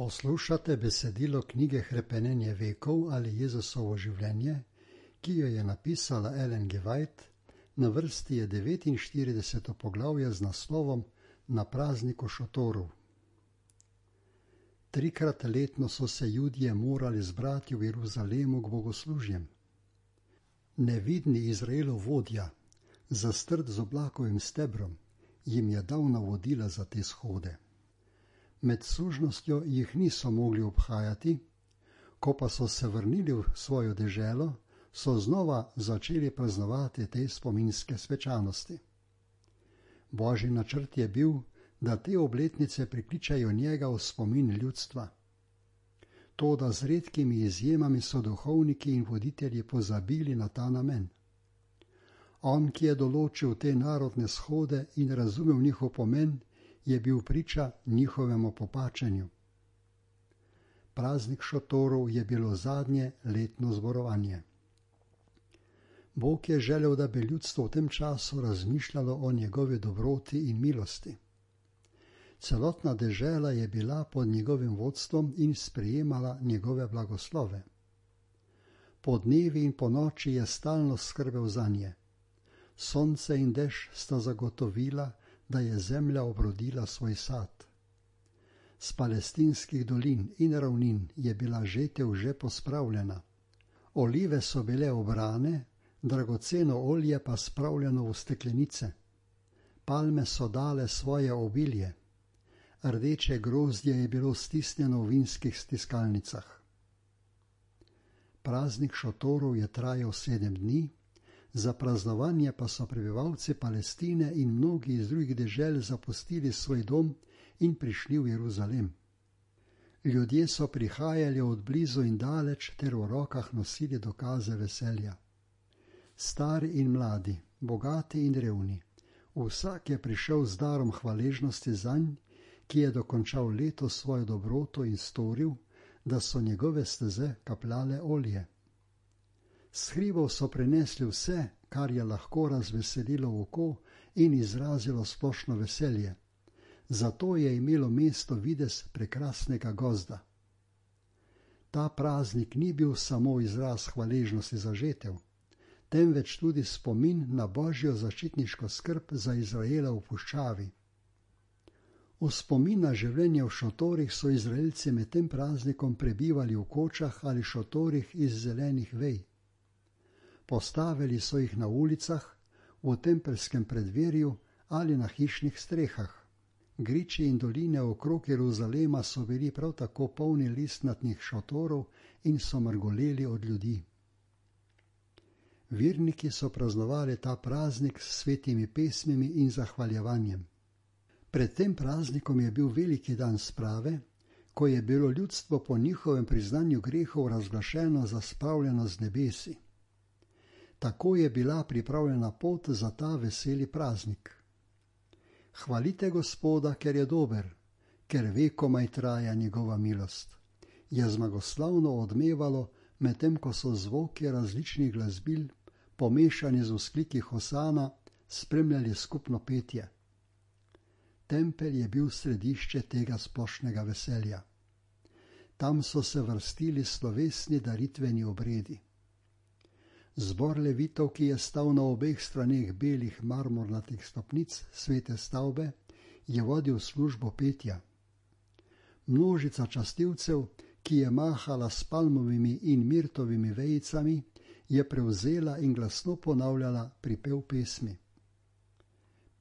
Poslušate besedilo knjige Hrepenenje vekov ali Jezusovo življenje, ki jo je napisala Ellen G. White. Na vrsti je 49. poglavje z naslovom Na prazniku šotorov. 3-krat letno so se Judje morali zbrati v Jeruzalemu k bogoslužjem. Nevidni Izraelov vodja, zastrt z oblakovim stebrom, jim je dal navodila za te shode. Med služnostjo jih niso mogli obhajati, ko pa so se vrnili v svojo deželo, so znova začeli praznovati te spominske svečanosti. Božji načrt je bil, da te obletnice prikličajo njega v spomin ljudstva. Toda z redkimi izjemami so duhovniki in voditelji pozabili na ta namen. On, ki je določil te narodne shode in razumel njihov pomen, je bil priča njihovemu popačenju. Praznik šotorov je bilo zadnje letno zborovanje. Bog je želel, da bi ljudstvo v tem času razmišljalo o njegovi dobroti in milosti. Celotna dežela je bila pod njegovim vodstvom in sprejemala njegove blagoslove. Po dnevi in po noči je stalno skrbel zanje. Sonce in dež sta zagotovila, da je zemlja obrodila svoj sad. S palestinskih dolin in ravnin je bila žetev že pospravljena. Olive so bile obrane, dragoceno olje pa spravljeno v steklenice. Palme so dale svoje obilje. Rdeče grozdje je bilo stisnjeno v vinskih stiskalnicah. Praznik šotorov je trajal 7 dni, za praznovanje pa so prebivalci Palestine in mnogi iz drugih dežel zapustili svoj dom in prišli v Jeruzalem. Ljudje so prihajali od blizu in daleč ter v rokah nosili dokaze veselja. Stari in mladi, bogati in revni, vsak je prišel z darom hvaležnosti zanj, ki je dokončal leto svojo dobroto in storil, da so njegove steze kapljale olje. S hribov so prinesli vse, kar je lahko razveselilo oko in izrazilo splošno veselje. Zato je imelo mesto videz prekrasnega gozda. Ta praznik ni bil samo izraz hvaležnosti za žetev, temveč tudi spomin na Božjo zaščitniško skrb za Izraela v puščavi. V spomin na življenje v šotorih so Izraelci med tem praznikom prebivali v kočah ali šotorih iz zelenih vej. Postavili so jih na ulicah, v tempelskem predverju ali na hišnih strehah. Griči in doline okrog Jeruzalema so bili prav tako polni listnatnih šotorov in so mrgoleli od ljudi. Verniki so praznovali ta praznik s svetimi pesmimi in zahvaljevanjem. Pred tem praznikom je bil veliki dan sprave, ko je bilo ljudstvo po njihovem priznanju grehov razglašeno za spravljeno z nebesi. Tako je bila pripravljena pot za ta veseli praznik. Hvalite Gospoda, ker je dober, ker vekomaj traja njegova milost. Je zmagoslavno odmevalo, medtem ko so zvoki različnih glasbil, pomešani z vzkliki hosana, spremljali skupno petje. Tempelj je bil središče tega splošnega veselja. Tam so se vrstili slovesni daritveni obredi. Zbor levitov, ki je stal na obeh straneh belih marmornatih stopnic svete stavbe, je vodil službo petja. Množica častilcev, ki je mahala s palmovimi in mirtovimi vejicami, je prevzela in glasno ponavljala pripev pesmi.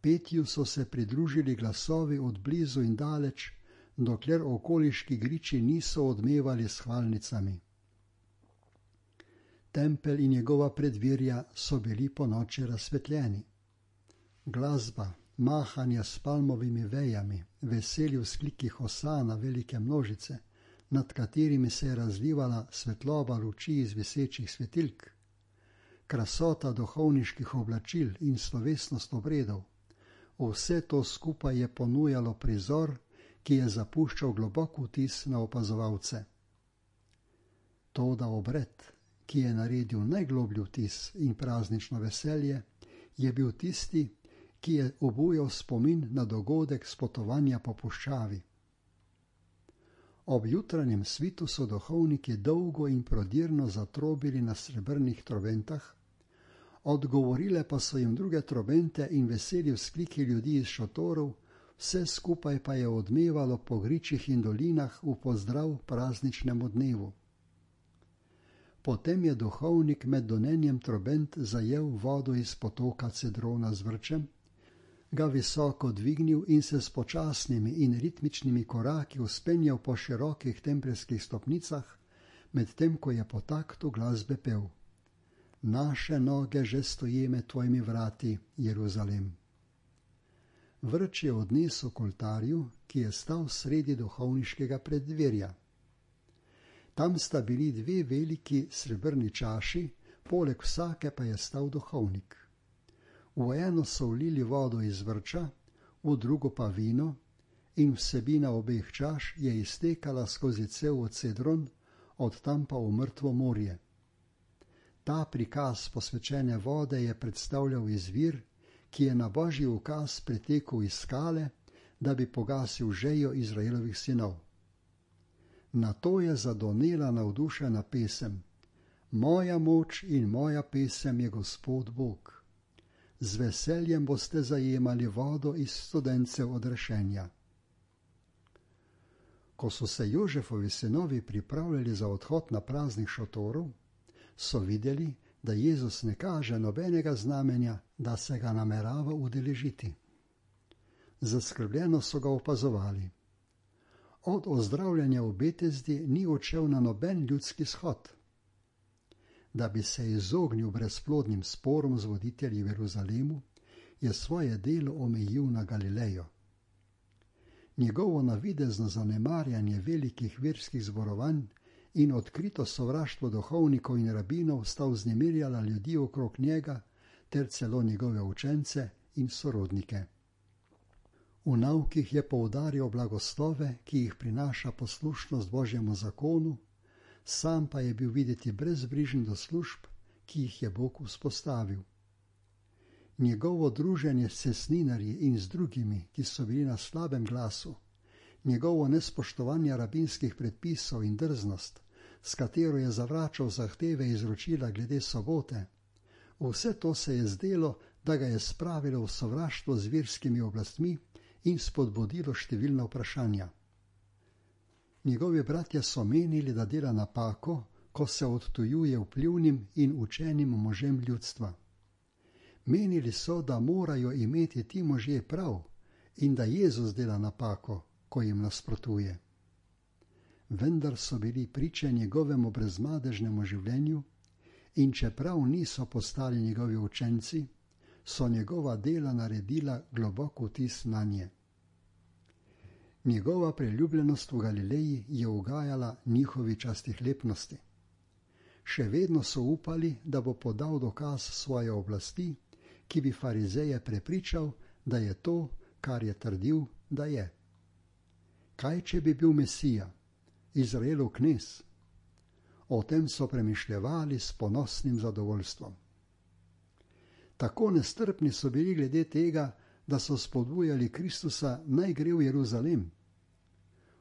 Petju so se pridružili glasovi od blizu in daleč, dokler okoliški griči niso odmevali s hvalnicami. Tempelj in njegova predvirja so bili ponoči razsvetljeni. Glasba, mahanja s palmovimi vejami, veseli vzkliki hosana velike množice, nad katerimi se je razlivala svetloba luči iz visečih svetilk, krasota duhovniških oblačil in slovesnost obredov. Vse to skupaj je ponujalo prizor, ki je zapuščal globok vtis na opazovalce. Toda obred, ki je naredil najgloblji vtis in praznično veselje, je bil tisti, ki je obujal spomin na dogodek spotovanja po puščavi. Ob jutranjem svitu so duhovniki dolgo in prodirno zatrobili na srebrnih trobentah, odgovorile pa so jim druge trobente in veseli vzkliki ljudi iz šotorov, vse skupaj pa je odmevalo po gričih in dolinah v pozdrav prazničnemu dnevu. Potem je duhovnik med donenjem trobent zajel vodo iz potoka Cedrona z vrčem, ga visoko dvignil in se s počasnimi in ritmičnimi koraki vzpenjal po širokih tempeljskih stopnicah, medtem ko je po taktu glasbe pel: Naše noge že stoje med tvojimi vrati, Jeruzalem. Vrč je odnesel k oltarju, ki je stal sredi duhovniškega preddverja. Tam sta bili dve veliki srebrni čaši, poleg vsake pa je stal duhovnik. V eno so vlili vodo iz vrča, v drugo pa vino, in vsebina obeh čaš je iztekala skozi cel Cedron, od tam pa v mrtvo morje. Ta prikaz posvečene vode je predstavljal izvir, ki je na božji ukaz pretekel iz skale, da bi pogasil žejo Izraelovih sinov. Nato je zadonela navdušena pesem: Moja moč in moja pesem je Gospod Bog. Z veseljem boste zajemali vodo iz studencev odrešenja. Ko so se Jožefovi sinovi pripravljali za odhod na praznik šotorov, so videli, da Jezus ne kaže nobenega znamenja, da se ga namerava udeležiti. Zaskrbljeno so ga opazovali. Od ozdravljanja v Betesdi ni odšel na noben ljudski shod. Da bi se izognil brezplodnim sporom z voditelji v Jeruzalemu, je svoje delo omejil na Galilejo. Njegovo navidezno zanemarjanje velikih verskih zborovanj in odkrito sovraštvo duhovnikov in rabinov sta vznemirjala ljudi okrog njega ter celo njegove učence in sorodnike. V naukih je poudarjal blagoslove, ki jih prinaša poslušnost Božjemu zakonu, sam pa je bil videti brezbrižen do služb, ki jih je Bog vzpostavil. Njegovo druženje s cestninarji in z drugimi, ki so bili na slabem glasu, njegovo nespoštovanje rabinskih predpisov in drznost, s katero je zavračal zahteve izročila glede sobote, vse to se je zdelo, da ga je spravilo v sovraštvo z verskimi oblastmi in spodbudilo številna vprašanja. Njegovi bratje so menili, da dela napako, ko se odtujuje vplivnim in učenim možem ljudstva. Menili so, da morajo imeti ti možje prav in da Jezus dela napako, ko jim nasprotuje. Vendar so bili priče njegovemu brezmadežnemu življenju in čeprav niso postali njegovi učenci, so njegova dela naredila globok vtis nanje. Njegova priljubljenost v Galileji je ugajala njihovi častihlepnosti. Še vedno so upali, da bo podal dokaz svoje oblasti, ki bi farizeje prepričal, da je to, kar je trdil, da je. Kaj, če bi bil Mesija, Izraelov knez? O tem so premišljevali s ponosnim zadovoljstvom. Tako nestrpni so bili glede tega, da so spodbujali Kristusa, naj gre v Jeruzalem.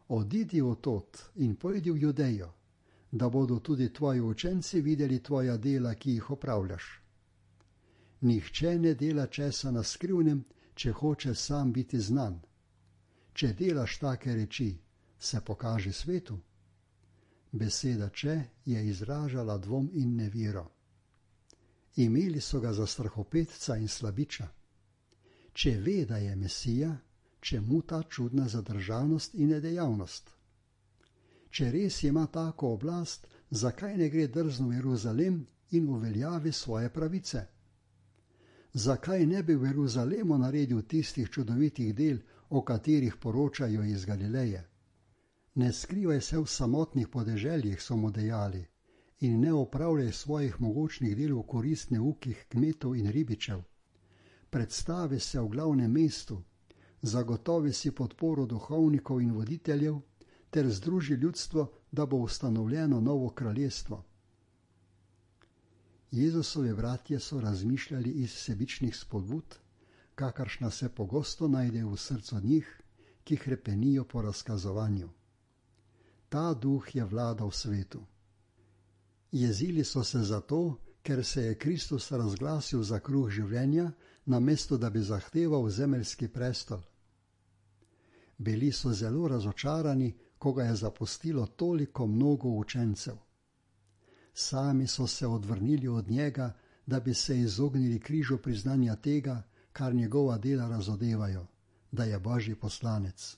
Odidi odtod in pojdi v Judejo, da bodo tudi tvoji učenci videli tvoja dela, ki jih opravljaš. Nihče ne dela česa na skrivnem, če hoče sam biti znan. Če delaš take reči, se pokaži svetu. Beseda če je izražala dvom in nevero. Imeli so ga za strahopetca in slabiča. Če ve, da je Mesija, čemu ta čudna zadržanost in nedejavnost? Če res ima tako oblast, zakaj ne gre drzno v Jeruzalem in uveljavi svoje pravice? Zakaj ne bi v Jeruzalemu naredil tistih čudovitih del, o katerih poročajo iz Galileje? Ne skrivaj se v samotnih podeželjih, so mu dejali, in ne opravljaj svojih mogočnih del v korist neukih kmetov in ribičev. Predstavi se v glavnem mestu, zagotovi si podporo duhovnikov in voditeljev ter združi ljudstvo, da bo ustanovljeno novo kraljestvo. Jezusovi bratje so razmišljali iz sebičnih spodbud, kakršna se pogosto najde v srcu njih, ki hrepenijo po razkazovanju. Ta duh je vladal svetu. Jezili so se zato, ker se je Kristus razglasil za kruh življenja, namesto da bi zahteval zemeljski prestol. Bili so zelo razočarani, ko ga je zapustilo toliko mnogo učencev. Sami so se odvrnili od njega, da bi se izognili križu priznanja tega, kar njegova dela razodevajo, da je Božji poslanec.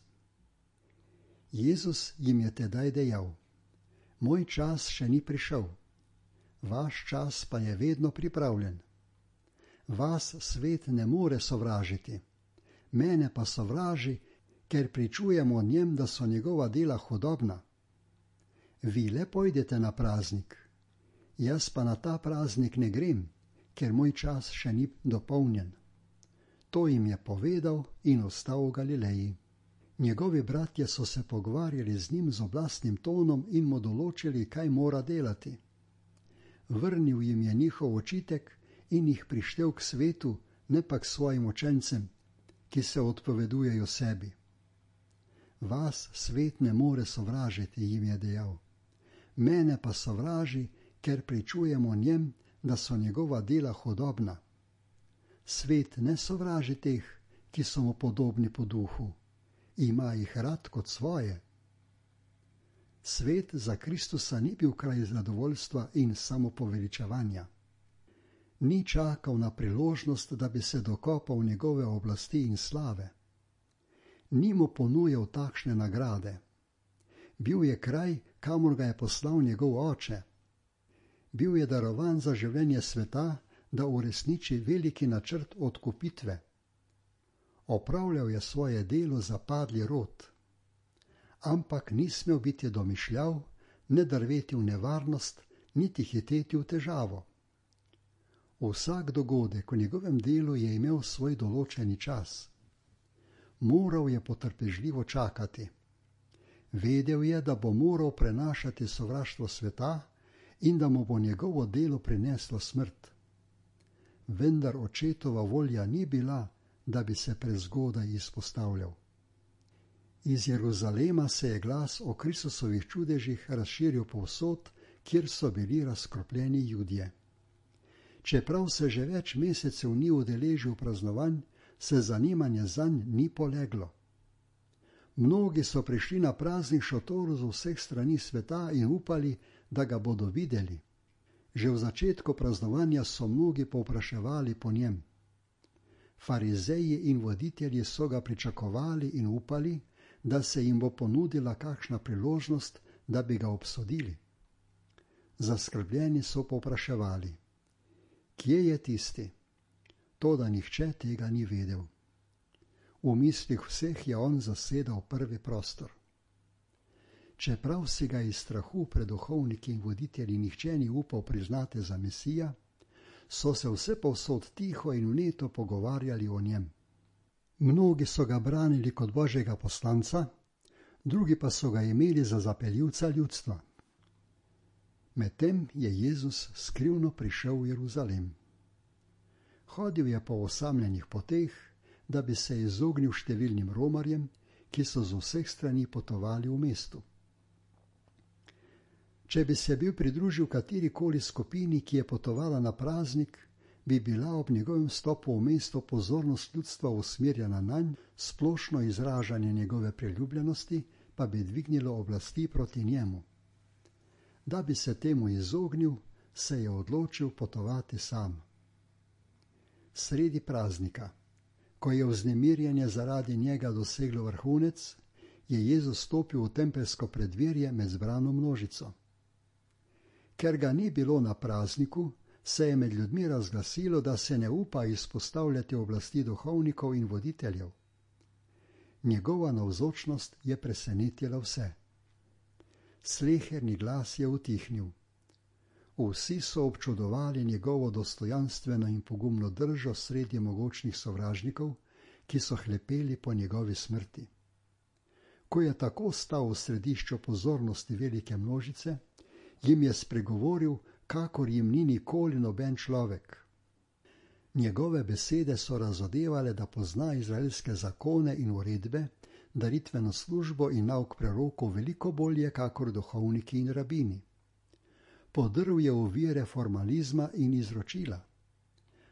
Jezus jim je tedaj dejal: Moj čas še ni prišel, vaš čas pa je vedno pripravljen. Vas svet ne more sovražiti, mene pa sovraži, ker pričujem o njem, da so njegova dela hudobna. Vi le pojdete na praznik, jaz pa na ta praznik ne grem, ker moj čas še ni dopolnjen. To jim je povedal in ostal v Galileji. Njegovi bratje so se pogovarjali z njim z oblastnim tonom in mu določili, kaj mora delati. Vrnil jim je njihov očitek in jih prištel k svetu, ne pa k svojim učencem, ki se odpovedujejo sebi. Vas svet ne more sovražiti, jim je dejal. Mene pa sovraži, ker pričujem o njem, da so njegova dela hudobna. Svet ne sovraži teh, ki so mu podobni po duhu, ima jih rad kot svoje. Svet za Kristusa ni bil kraj zadovoljstva in samopoveličevanja. Ni čakal na priložnost, da bi se dokopal njegove oblasti in slave. Ni mu ponujal takšne nagrade. Bil je kraj, kamor ga je poslal njegov oče. Bil je darovan za življenje sveta, da uresniči veliki načrt odkupitve. Opravljal je svoje delo za padli rod. Ampak ni smel biti domišljav, ne drveti v nevarnost, niti hiteti v težavo. Vsak dogodek v njegovem delu je imel svoj določeni čas. Moral je potrpežljivo čakati. Vedel je, da bo moral prenašati sovraštvo sveta in da mu bo njegovo delo prineslo smrt. Vendar očetova volja ni bila, da bi se prezgodaj izpostavljal. Iz Jeruzalema se je glas o Kristusovih čudežih razširil povsod, kjer so bili razkropljeni Judje. Čeprav se že več mesecev ni udeležil praznovanj, se zanimanje zanj ni poleglo. Mnogi so prišli na praznik šotor z vseh strani sveta in upali, da ga bodo videli. Že v začetku praznovanja so mnogi povpraševali po njem. Farizeji in voditelji so ga pričakovali in upali, da se jim bo ponudila kakšna priložnost, da bi ga obsodili. Zaskrbljeni so povpraševali: Kje je tisti? Toda nihče tega ni vedel. V mislih vseh je on zasedal prvi prostor. Čeprav si ga iz strahu pred duhovniki in voditelji nihče ni upal priznati za Mesija, so se vsepovsod tiho in vneto pogovarjali o njem. Mnogi so ga branili kot Božjega poslanca, drugi pa so ga imeli za zapeljivca ljudstva. Medtem je Jezus skrivno prišel v Jeruzalem. Hodil je po osamljenih poteh, da bi se izognil številnim romarjem, ki so z vseh strani potovali v mestu. Če bi se bil pridružil katerikoli skupini, ki je potovala na praznik, bi bila ob njegovem stopu v mesto pozornost ljudstva usmerjena nanj, splošno izražanje njegove priljubljenosti pa bi dvignilo oblasti proti njemu. Da bi se temu izognil, se je odločil potovati sam. Sredi praznika, ko je vznemirjenje zaradi njega doseglo vrhunec, je Jezus stopil v tempelsko preddverje med zbrano množico. Ker ga ni bilo na prazniku, se je med ljudmi razglasilo, da se ne upa izpostavljati oblasti duhovnikov in voditeljev. Njegova navzočnost je presenetila vse. Sleherni glas je utihnil. Vsi so občudovali njegovo dostojanstveno in pogumno držo sredi mogočnih sovražnikov, ki so hlepeli po njegovi smrti. Ko je tako stal v središču pozornosti velike množice, jim je spregovoril, kakor jim ni nikoli noben človek. Njegove besede so razodevale, da pozna izraelske zakone in uredbe, daritveno službo in nauk prerokov veliko bolje kakor duhovniki in rabini. Podrl je ovire formalizma in izročila.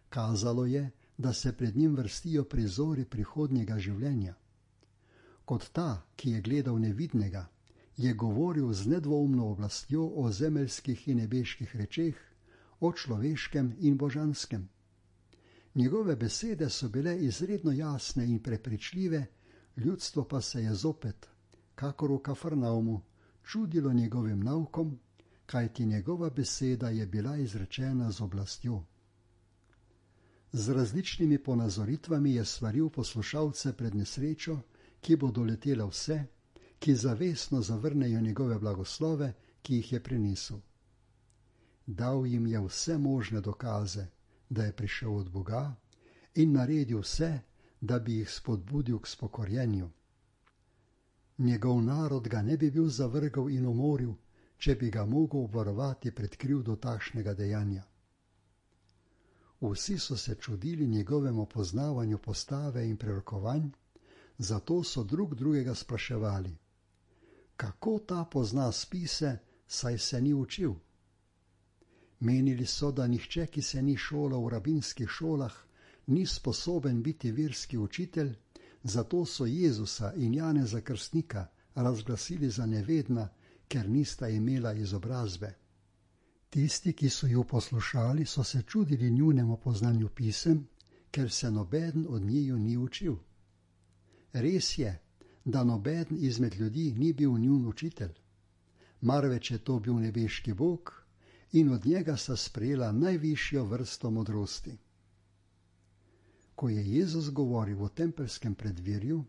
Kazalo je, da se pred njim vrstijo prizori prihodnjega življenja. Kot ta, ki je gledal nevidnega, je govoril z nedvoumno oblastjo o zemeljskih in nebeških rečeh, o človeškem in božanskem. Njegove besede so bile izredno jasne in prepričljive, ljudstvo pa se je zopet, kakor v Kafarnaumu, čudilo njegovim naukom, kajti njegova beseda je bila izrečena z oblastjo. Z različnimi ponazoritvami je svaril poslušalce pred nesrečo, ki bo doletela vse, ki zavestno zavrnejo njegove blagoslove, ki jih je prinesel. Dal jim je vse možne dokaze, da je prišel od Boga, in naredil vse, da bi jih spodbudil k spokorjenju. Njegov narod ga ne bi bil zavrgal in umoril, če bi ga mogel obvarovati pred krivdo takšnega dejanja. Vsi so se čudili njegovemu poznavanju postave in prerokovanj, zato so drug drugega spraševali, kako ta pozna spise, saj se ni učil. Menili so, da nihče, ki se ni šolal v rabinskih šolah, ni sposoben biti verski učitelj, zato so Jezusa in Janeza Krstnika razglasili za nevedna, ker nista imela izobrazbe. Tisti, ki so ju poslušali, so se čudili njunemu poznanju pisem, ker se nobeden od njiju ni učil. Res je, da nobeden izmed ljudi ni bil njun učitelj, marveč je to bil nebeški Bog in od njega sta sprejela najvišjo vrsto modrosti. Ko je Jezus govoril o tempeljskem preddverju,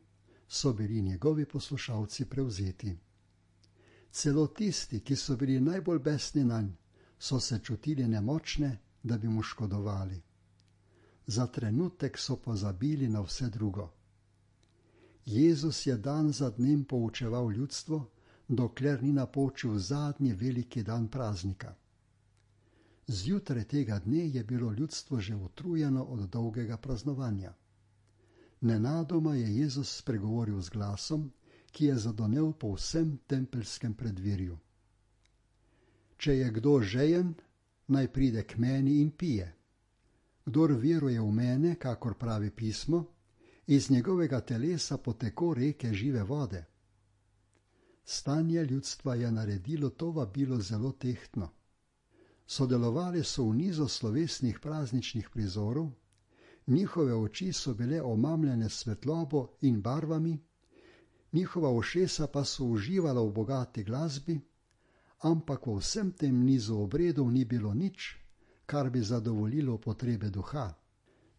so bili njegovi poslušalci prevzeti. Celo tisti, ki so bili najbolj besni nanj, so se čutili nemočne, da bi mu škodovali. Za trenutek so pozabili na vse drugo. Jezus je dan za dnem poučeval ljudstvo, dokler ni napočil zadnji veliki dan praznika. Zjutraj tega dne je bilo ljudstvo že utrujeno od dolgega praznovanja. Nenadoma je Jezus spregovoril z glasom, ki je zadonel po vsem tempeljskem preddverju. Če je kdo žejen, naj pride k meni in pije. Kdor veruje v mene, kakor pravi pismo, iz njegovega telesa poteko reke žive vode. Stanje ljudstva je naredilo to vabilo zelo tehtno. Sodelovali so v nizu slovesnih prazničnih prizorov, njihove oči so bile omamljene s svetlobo in barvami, njihova ušesa pa so uživala v bogati glasbi, ampak v vsem tem nizu obredov ni bilo nič, kar bi zadovoljilo potrebe duha,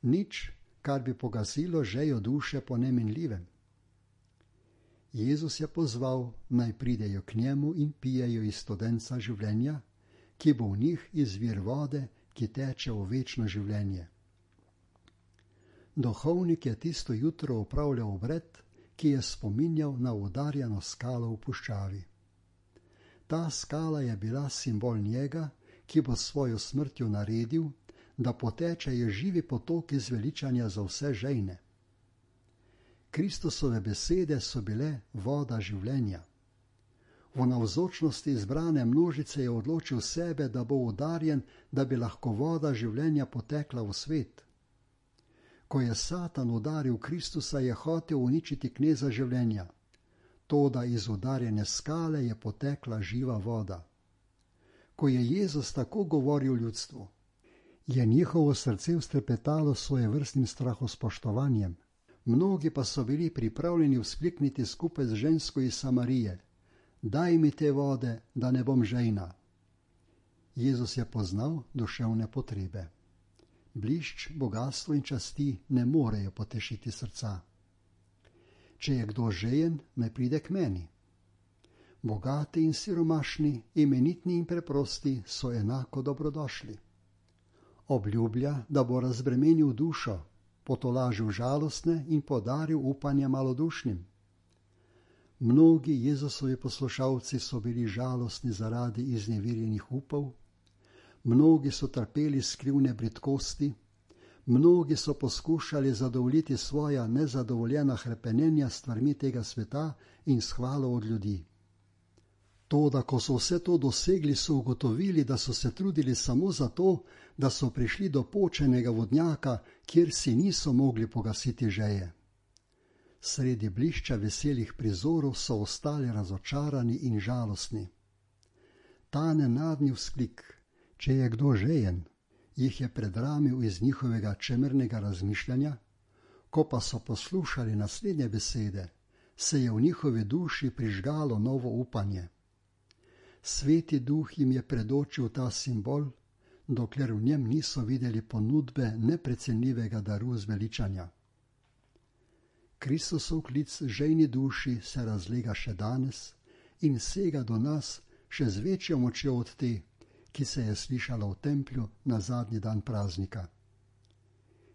nič, kar bi pogasilo žejo duše po neminljivem. Jezus je pozval, naj pridejo k njemu in pijejo iz studenca življenja, ki bo v njih izvir vode, ki teče v večno življenje. Duhovnik je tisto jutro opravljal obred, ki je spominjal na udarjeno skalo v puščavi. Ta skala je bila simbol njega, ki bo svojo smrtjo naredil, da potečejo živi potoki zveličanja za vse žejne. Kristusove besede so bile voda življenja. V navzočnosti izbrane množice je odločil sebe, da bo udarjen, da bi lahko voda življenja potekla v svet. Ko je Satan udaril Kristusa, je hotel uničiti kneza življenja. Toda iz udarjene skale je potekla živa voda. Ko je Jezus tako govoril ljudstvu, je njihovo srce vztrepetalo svojevrstnim strahospoštovanjem. Mnogi pa so bili pripravljeni vzklikniti skupaj z žensko iz Samarije: daj mi te vode, da ne bom žejna. Jezus je poznal duševne potrebe. Blišč, bogastvo in časti ne morejo potešiti srca. Če je kdo žejen, naj pride k meni. Bogati in siromašni, imenitni in preprosti so enako dobrodošli. Obljublja, da bo razbremenil dušo, potolažil žalostne in podaril upanje malodušnim. Mnogi Jezusovi poslušalci so bili žalostni zaradi izneverjenih upov, mnogi so trpeli skrivne bridkosti, Mnogi so poskušali zadovoljiti svoja nezadovoljena hrepenenja s stvarmi tega sveta in s hvalo od ljudi. Toda, ko so vse to dosegli, so ugotovili, da so se trudili samo zato, da so prišli do počenega vodnjaka, kjer si niso mogli pogasiti žeje. Sredi blišča veselih prizorov so ostali razočarani in žalostni. Ta nenadni vzklik, če je kdo žejen, jih je predramil iz njihovega čemernego razmišljanja, ko pa so poslušali naslednje besede, se je v njihovi duši prižgalo novo upanje. Sveti Duh jim je predočil ta simbol, dokler v njem niso videli ponudbe neprecenljivega daru zveličanja. Kristusov klic žejni duši se razlega še danes in sega do nas še z večjo močjo od te, ki se je slišala v templju na zadnji dan praznika.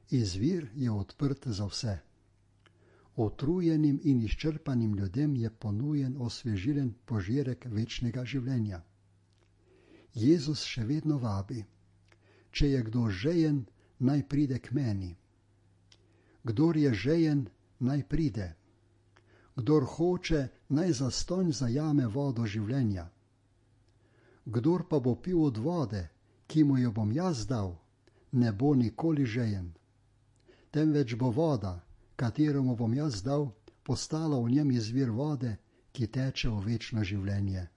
Izvir je odprt za vse. Utrujenim in izčrpanim ljudem je ponujen osvežilen požirek večnega življenja. Jezus še vedno vabi: če je kdo žejen, naj pride k meni. Kdor je žejen, naj pride. Kdor hoče, naj zastonj zajame vodo življenja. Kdor pa bo pil od vode, ki mu jo bom jaz dal, ne bo nikoli žejen. Temveč bo voda, katero mu bom jaz dal, postala v njem izvir vode, ki teče v večno življenje.